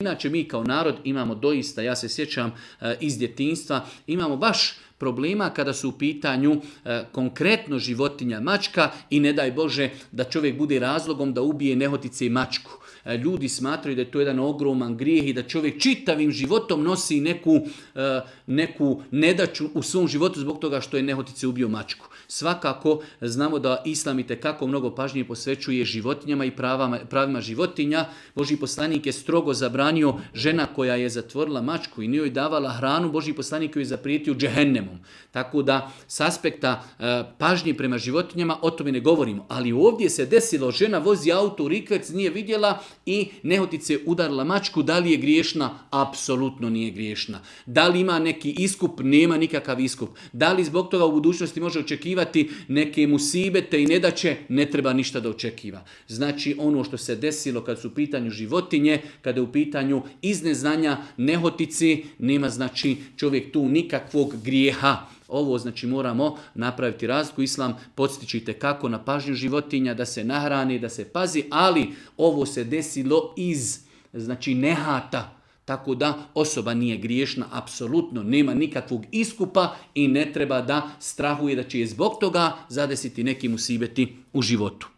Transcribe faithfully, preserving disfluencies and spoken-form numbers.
Inače mi kao narod imamo doista, ja se sjećam e, iz djetinjstva, imamo baš problema kada su u pitanju e, konkretno životinja mačka i ne daj Bože da čovjek bude razlogom da ubije nehotice i mačku. E, ljudi smatraju da je to jedan ogroman grijeh i da čovjek čitavim životom nosi neku, e, neku nedaću u svom životu zbog toga što je nehotice ubio mačku. Svakako znamo da Islam itekako mnogo pažnje posvećuje životinjama i pravama, pravima životinja. Božji poslanik je strogo zabranio žena koja je zatvorila mačku i nije joj davala hranu, Božji poslanik joj je zaprijetio džehennemom. Tako da s aspekta e, pažnje prema životinjama o tome ne govorimo. Ali ovdje se desilo, žena vozi auto u rikverc, nije vidjela i nehotice udarila mačku. Da li je griješna? Apsolutno nije griješna. Da li ima neki iskup? Nema nikakav iskup. Da li zbog toga u budućnosti može očekivati neke musibete i nedaće? Ne treba ništa da očekiva. Znači ono što se desilo kad su u pitanju životinje, kada je u pitanju iz neznanja nehotici, nema znači čovjek tu nikakvog grijeha. Ovo znači moramo napraviti razliku. Islam podsjeća kako na pažnju životinja, da se nahrani, da se pazi, ali ovo se desilo iz znači nehata. Tako da osoba nije griješna, apsolutno nema nikakvog iskupa i ne treba da strahuje da će je zbog toga zadesiti neki musibeti u životu.